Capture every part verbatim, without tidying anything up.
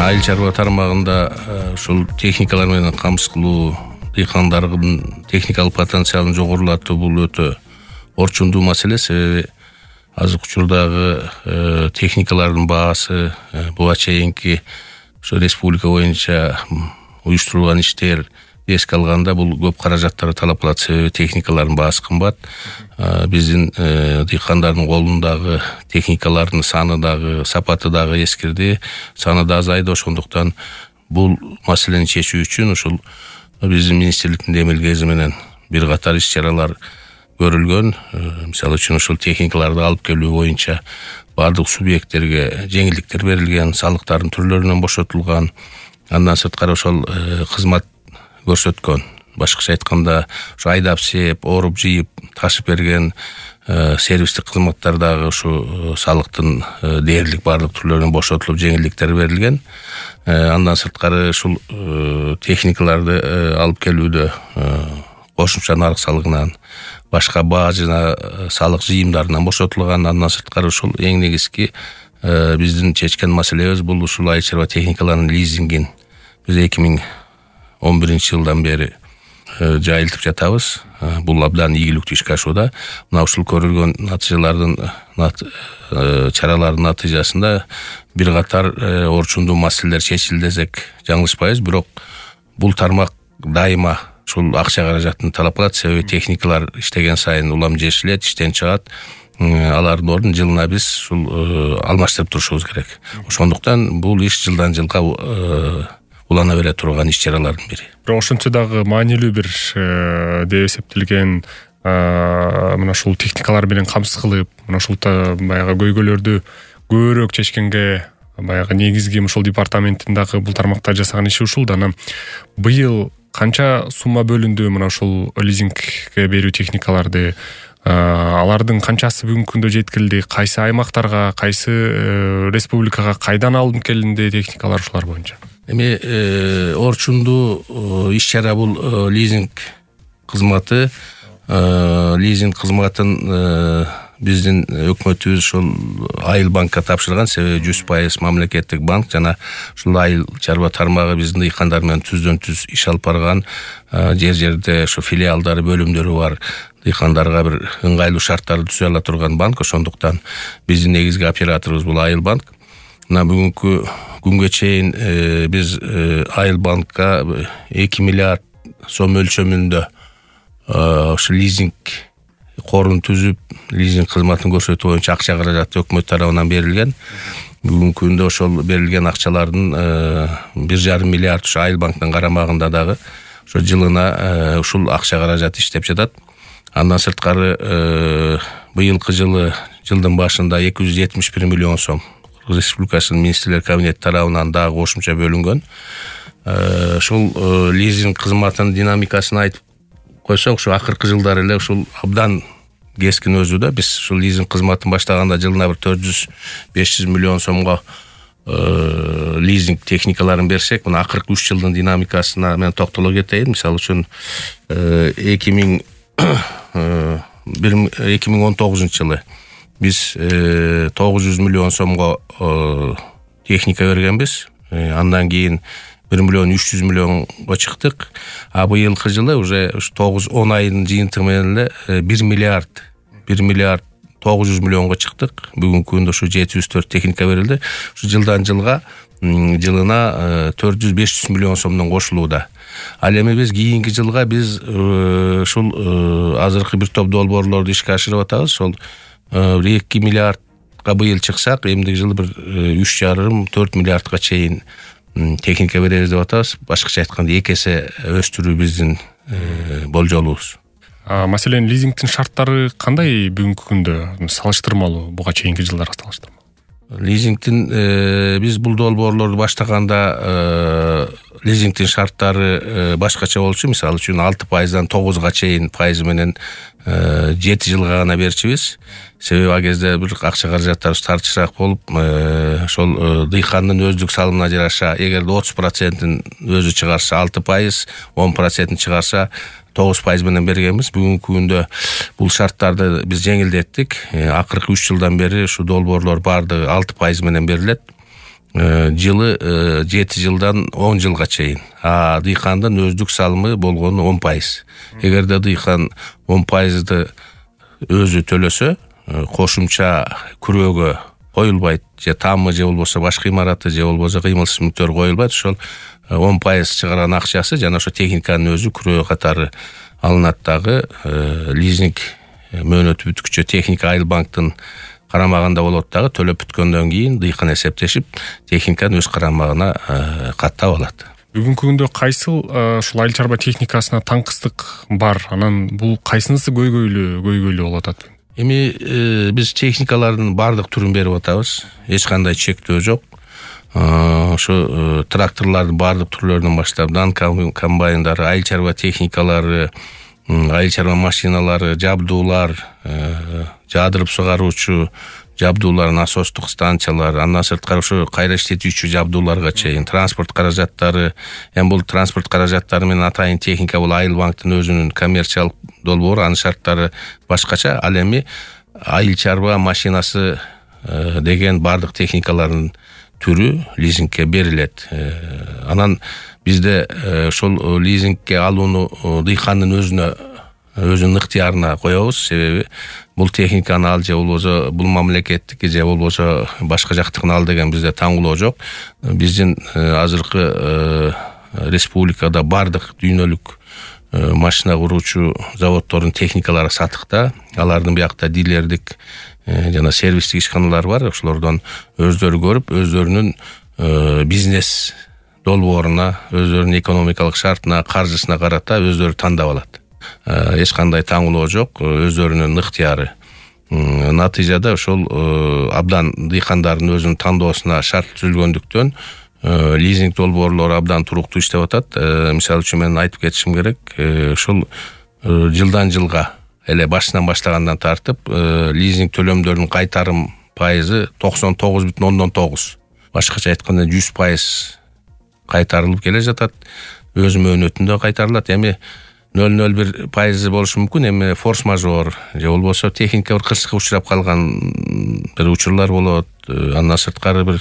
айыл чарба тармагында ушул техникалар менен камсыз кылуу, дыйкандардын техникалык потенциалын жогорулатуу бул өтө орчундуу маселе. Себеби азыркы учурдагы техникалардын баасы буга чейинки ошо республика боюнча уюштурулган иштер эске алганда бул көп каражаттарды талап кылат. Себеби техникалардын баасы кымбат. Биздин дыйкандардын колундагы техникалардын саны дагы, сапаты дагы эскирди, саны да азайды. Ошондуктан бул маселени чечүү үчүн ушул биздин министрликтин демилгеси менен бир катар иш-чаралар көрүлгөн. Мисалы үчүн ушул техникаларды алып келүү боюнча бардык субъекттерге жеңилдиктер берилген, салыктардын түрлөрүнөн бошотулган. Андан сырткары ошол кызмат көрсөткөн, башкача айтканда ушу айдап сээп, оруп жыйып, ташып берген сервистик кызматтар дагы ушу салыктын дээрлик бардык түрлөрүнөн бошотулуп, жеңилдиктер берилген. Андан сырткары ушул техникаларды алып келүүдө кошумча нарык салыгынан, башка баа жана салык жыйымдарынан бошотулган. Андан сырткары ушул эң негизги биздин чечкен маселебиз бул ушул айыл чарба техникаларынын лизингин биз эки миң он биринчи жылдан бери жайылтып жатабыз. Бул абдан ийгиликтүү ишке ашууда. Мына ушул көрүлгөн натыйжалардын чаралардын натыйжасында бир катар орчундуу маселелер чечилди десек жаңылышпайбыз. Бирок бул тармак дайыма ушул акча каражатын талап кылат. Себеби техникалар иштеген сайын улам жешилет, иштен чыгат. Алардын ордун жылына биз ушул алмаштырып турушубуз керек. Ошондуктан бул иш жылдан жылга улана бере турган иш-чаралардын бири. Бирок ошентсе дагы маанилүү бир деп эсептелген мына ушул техникалар менен камсыз кылып, мына ушул баягы көйгөйлөрдү көбүрөөк чечкенге баягы негизги ушул департаменттин дагы бул тармакта жасаган иши ушул да. Анан быйыл канча сумма бөлүндү мына ушул лизингге берүү техникаларды? Алардын канчасы бүгүнкү күндө жеткилди? Кайсы аймактарга, кайсы республикага кайдан алынып келинди техникалар ушулар боюнча? Эми орчундуу иш-чара бул лизинг кызматы. Лизинг кызматын биздин өкмөтүбүз ушул Айыл банкка тапшырган. Себеби жүз пайыз мамлекеттик банк жана ушул айыл чарба тармагы биздин дыйкандар менен түздөн түз иш алып барган. Жер жерде ушу филиалдары, бөлүмдөрү бар. Дыйкандарга бир ыңгайлуу шарттарды түзө ала турган банк. Ошондуктан биздин негизги операторубуз бул Айыл банк. Мына бүгүнкү күнгө чейин биз Айыл банкка эки миллиард сом өлчөмүндө ушу лизинг корун түзүп, лизинг кызматын көрсөтүү боюнча акча каражаты өкмөт тарабынан берилген. Бүгүнкү күндө ошол берилген акчалардын бир жарым миллиард ушу Айыл банктын карамагында дагы ошо жылына ушул акча каражаты иштеп жатат. Андан сырткары быйылкы жылы жылдын башында эки жүз жетимиш бир миллион сом Республикасынын министрлер кабинети тарабынан дагы кошумча бөлүнгөн. Ушул лизинг кызматынын динамикасын айтып койсок, ушу акыркы жылдары эле ушул абдан кескин өсүүдө. Биз ушул лизинг кызматын баштаганда жылына бир төрт жүз беш жүз миллион сомго лизинг техникаларын берсек, мына акыркы үч жылдын динамикасына мен токтоло кетейин. Мисалы үчүн эки миң он тогузунчу жылы биз тогуз жүз миллион сомго техника бергенбиз. Андан кийин бир миллион үч жүз миллионго чыктык. А быйылкы жылы уже тогуз он айдын жыйынтыгы менен эле бир миллиард бир миллиард тогуз жүз миллионго чыктык. Бүгүнкү күндө ушу жети жүз төрт техника берилди. Ушу жылдан жылга жылына төрт жүз беш жүз миллион сомдон кошулууда. Ал эми биз кийинки жылга биз ушул азыркы бир топ долбоорлорду ишке ашырып атабыз. Ошол эки миллиардга быйыл чыксак, эмдиги жылы бир үч жарым төрт миллиардга чейин техника беребиз деп атабыз. Башкача айтканда эки эсе өстүрүү биздин болжолубуз. Маселен, лизингдин шарттары кандай бүгүнкү күндө салыштырмалуу буга чейинки жылдарга салыштырмалуу? Лизингдин биз бул долбоорлорду баштаганда лизингдин шарттары башкача болчу. Мисалы үчүн алты пайыздан тогузга чейин пайызы менен жети жылга гана берчүбүз. Себеби ал кезде бир акча каражаттарыбыз тартышыраак болуп, ошол дыйкандын өздүк салымына жараша, эгерде отуз процентин өзү чыгарса алты пайыз, он процентин чыгарса тогуз пайыз менен бергенбиз. Бүгүнкү күндө бул шарттарды биз жеңилдеттик. Акыркы үч жылдан бери ушу долбоорлор бардыгы алты пайыз менен берилет. жылы жети жылдан он жылга чейин. А дыйкандын өздүк салымы болгону он пайыз. Эгерде дыйкан он пайызды өзү төлөсө, кошумча күрөөгө коюлбайт, же тамы же болбосо башка имараты же болбосо кыймылсыз мүлктөр коюлбайт. Ошол он пайыз чыгарган акчасы жана ошо техниканын өзү күрөө катары алынат дагы. Лизинг мөөнөтү бүткүчө техника Айыл банктын карамагында болот дагы. Төлөп бүткөндөн кийин дыйкан эсептешип, техниканы өз карамагына каттап алат. Бүгүнкү күндө кайсыл ушул айыл чарба техникасына таңкыстык бар? Анан бул кайсынысы көйгөйлүү көйгөйлүү болуп атат? Эми биз техникалардын бардык түрүн берип атабыз. Эч кандай чектөө жок. Ошо тракторлордун бардык түрлөрүнөн баштап, дан комбайндары, айыл чарба техникалары, айыл чарба машиналары, жабдуулар, жаадырып сугаруучу жабдуулар, насостук станциялар, андан сырткары ошо кайра иштетүүчү жабдууларга чейин, транспорт каражаттары. Эми бул транспорт каражаттары менен атайын техника бул Айыл банктын өзүнүн коммерциялык долбоору, анын шарттары башкача. Ал эми айыл чарба машинасы деген бардык техникалардын түрү лизингке берилет. Анан бизде ошол лизингке алууну дыйкандын өзүнө өзүнүн ыктыярына коебуз. Себеби бул техниканы ал же болбосо бул мамлекеттики же болбосо башка жактыкын ал деген бизде таңгылоо жок. Биздин азыркы республикада бардык дүйнөлүк машина куруучу заводдордун техникалары сатыкта. Алардын биякта дилердик жана сервистик ишканалары бар. Ошолордон өздөрү көрүп, өздөрүнүн бизнес долбооруна, өздөрүнүн экономикалык шартына, каржысына карата өздөрү тандап алат. Эч кандай таңгылоо жок, өздөрүнүн ыктыяры. Натыйжада ошол абдан дыйкандардын өзүнүн тандоосуна шарт түзүлгөндүктөн лизинг долбоорлору абдан туруктуу иштеп атат. Мисалы үчүн мен айтып кетишим керек, ошол жылдан жылга эле башынан баштагандан тартып лизинг төлөмдөрүнүн кайтарым пайызы токсон тогуз бүтүн ондон тогуз. Башкача айтканда жүз пайыз кайтарылып келе жатат. Өз мөөнөтүндө кайтарылат. Эми нөл нөл бир пайызы болушу мүмкүн. Эми форс-мажор же болбосо техника бир кырсыкка учурап калган бир учурлар болот. Андан сырткары бир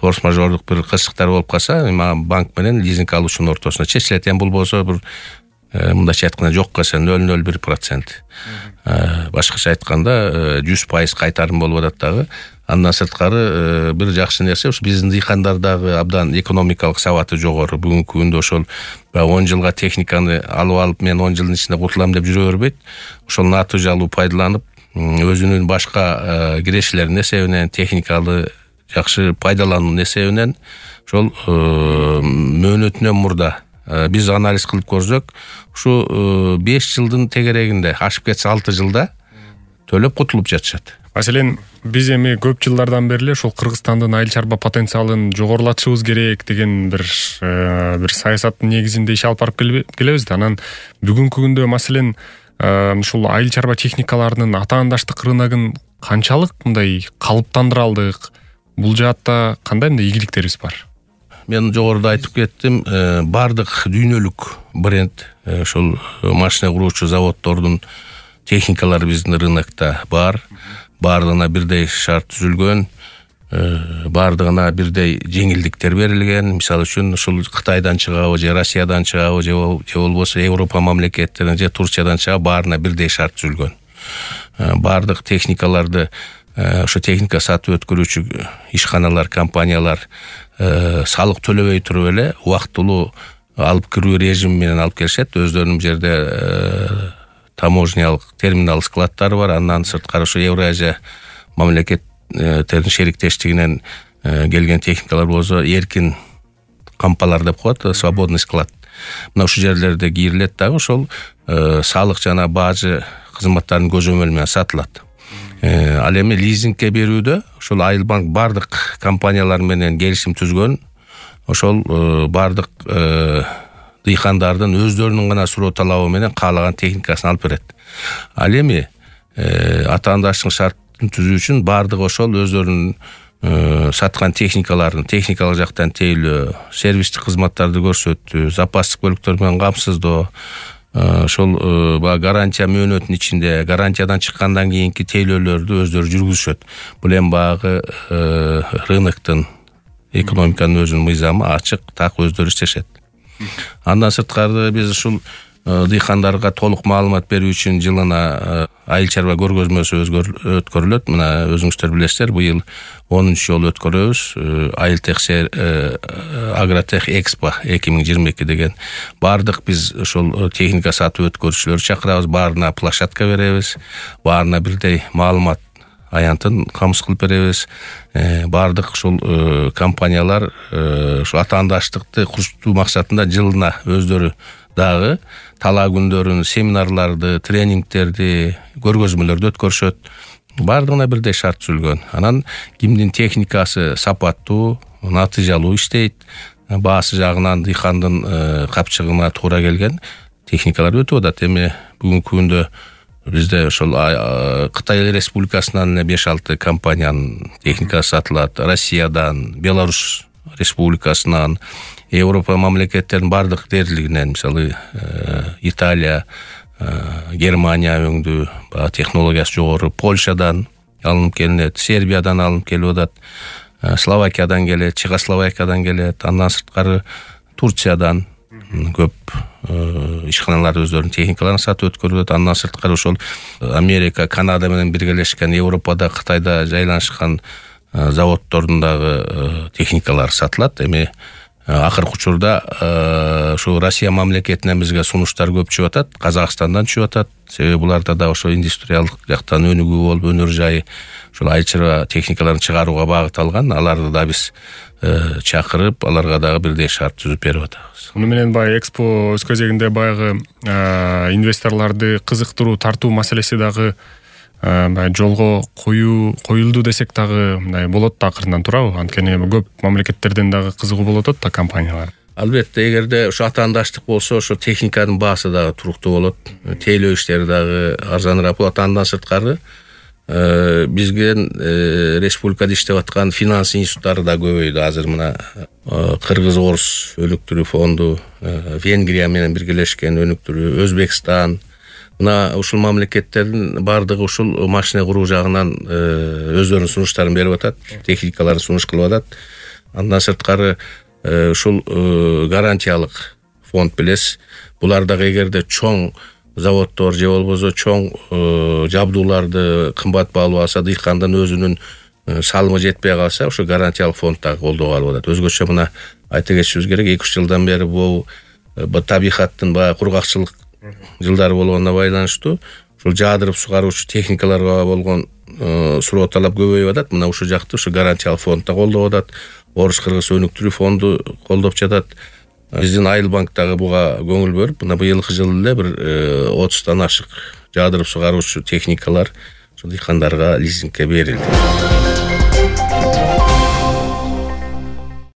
форс-мажордук бир кырсыктар болуп калса, банк менен лизинг алуучунун ортосуна чечилет. Эми бул болсо бир мындайча айтканда жокко эсе нөл нөл бир процент. Башкача айтканда жүз пайыз кайтарым болуп атат дагы. Андан сырткары бир жакшы нерсе, ушу биздин дыйкандар дагы абдан экономикалык сабаты жогору. Бүгүнкү күндө ошол он жылга техниканы алып алып, мен он жылдын ичинде куртулам деп жүрө бербейт. Ошол натыйжалуу пайдаланып, өзүнүн башка кирешилеринин эсебинен, техниканы жакшы пайдалануунун эсебинен ошол мөөнөтүнөн мурда биз анализ кылып көрсөк, ушу беш жылдын тегерегинде, ашып кетсе алты жылда төлөп кутулуп жатышат. Маселен, биз эми көп жылдардан бери ошол Кыргызстандын айыл чарба потенциалын жогорулатышыбыз керек деген бир бир саясаттын негизинде иш алып барып келебиз да. Анан бүгүнкү күндө маселен ушул айыл чарба техникаларынын атаандаштык рыногун канчалык мындай калыптандыра алдык? Бул жаатта кандай мындай ийгиликтерибиз бар? Мен жогоруда айтып кеттим, бардык дүйнөлүк бренд ошол машина куруучу заводдордун техникалары биздин рынокто бар. Бардыгына бирдей шарт түзүлгөн, бардыгына бирдей жеңилдиктер берилген. Мисалы үчүн ушул Кытайдан чыгабы же Россиядан чыгабы же болбосо Европа мамлекеттеринен же Турциядан чыгабы, баарына бирдей шарт түзүлгөн. Бардык техникаларды ошо техника сатып өткөрүүчү ишканалар, компаниялар салык төлөбөй туруп эле убактылуу алып кирүү режими менен алып келишет. Өздөрүнүн жерде таможнялык терминал складдары бар. Андан сырткары ошо Евразия мамлекеттеринин шериктештигинен келген техникалар болсо эркин кампалар деп коет, свободный склад. Мына ушул жерлерде кирилет дагы, ошол салык жана бажы кызматтарын көзөмөл менен сатылат. Ал эми лизингке берүүдө ошол Айыл банк бардык компаниялар менен келишим түзгөн. Ошол бардык дыйкандардын өздөрүнүн гана суроо талабы менен каалаган техникасын алып берет. Ал эми атаандаштык шартын түзүү үчүн бардык ошол өздөрүнүн саткан техникаларын техникалык жактан тейлөө, сервистик кызматтарды көрсөтүү, запастык бөлүктөр менен камсыздоо, ошол баягы гарантия мөөнөтүнүн ичинде гарантиядан чыккандан кийинки тейлөөлөрдү өздөрү жүргүзүшөт. Бул эми баягы рыноктун, экономиканын өзүнүн мыйзамы, ачык, так өздөрү иштешет. Андан сырткары биз ушул дыйкандарга толук маалымат берүү үчүн жылына айыл чарба көргөзмөсү өткөрүлөт. Мына өзүңүздөр билесиздер, быйыл онунчу жолу өткөрөбүз. Айылтех Агротех Экспо эки миң жыйырма эки деген. Бардык биз ошол техника сатып өткөрүүчүлөрдү чакырабыз, баарына площадка беребиз, баарына бирдей маалымат аянтын камсыз кылып беребиз. Бардык ушул компаниялар ушу атаандаштыкты курчутуу максатында жылына өздөрү дагы талаа күндөрүн, семинарларды, тренингтерди, көргөзмөлөрдү өткөрүшөт. Бардыгына бирдей шарт түзүлгөн. Анан кимдин техникасы сапаттуу, натыйжалуу иштейт, баасы жагынан дыйкандын капчыгына туура келген техникалар өтүп атат. Эми бүгүнкү күндө бизде ошол Кытай Республикасынан беш алты компаниянын техникасы сатылат. Россиядан, Беларусь Республикасынан, Европа мамлекеттеринин бардык дээрлигинен, мисалы Италия, Германия өңдүү, технологиясы жогору, Польшадан алынып келинет, Сербиядан алынып келип атат, Словакиядан келет, Чехословакиядан келет, андан сырткары Турциядан көп ишканалар өздөрүнүн техникаларын сатып өткөрүлөт. Андан сырткары ошол Америка, Канада менен биргелешкен, Европада, Кытайда жайланышкан заводдордун дагы техникалары сатылат. Эми акыркы учурда ушу Россия мамлекетинен бизге сунуштар көп чыгып атат, Казакстандан чыгып атат. Себеби буларда да ошо индустриалдык жактан өнүгүү болуп, өнөр жайы ушул айыл чарба техникаларын чыгарууга багытталган. Аларды да биз чакырып, аларга дагы бирдей шарт түзүп берип атабыз. Муну менен баягы экспо өз кезегинде баягы инвесторлорду кызыктыруу, тартуу маселеси дагы жолго коюу коюлду десек дагы мындай болот да акырынан, туурабы? Анткени көп мамлекеттерден дагы кызыгуу болот да компаниялар. Албетте, эгерде ушу атаандаштык болсо, ошо техниканын баасы дагы туруктуу болот, тейлөө иштери дагы арзаныраак болот. Андан сырткары бизге республикада иштеп аткан финанс институттары да көбөйдү. Азыр мына Кыргыз Орус өнүктүрүү фонду, Венгрия менен биргелешкен өнүктүрүү, Өзбекстан, мына ушул мамлекеттердин бардыгы ушул машина куруу жагынан өздөрүнүн сунуштарын берип атат, техникаларын сунуш кылып атат. Андан сырткары ушул гарантиялык фонд билесиз, булар дагы эгерде чоң заводдор же болбосо чоң жабдууларды кымбат баалуу алса, дыйкандын өзүнүн салымы жетпей калса, ошо гарантиялык фонд дагы колдоого алып атат. Өзгөчө мына айта кетишибиз керек, эки үч жылдан бери бул табигаттын баягы кургакчылык жылдары болгонуна байланыштуу ушул жаадырып сугаруучу техникаларга болгон суроо талап көбөйүп атат. Мына ушул жакты ушу гарантиялык фонд да колдоп атат. Орус Кыргыз өнүктүрүү фонду колдоп жатат. Биздин Айыл банк дагы буга көңүл бөлүп, мына быйылкы жылы эле бир отуздан ашык жаадырып сугаруучу техникалар ушул дыйкандарга лизингке берилди.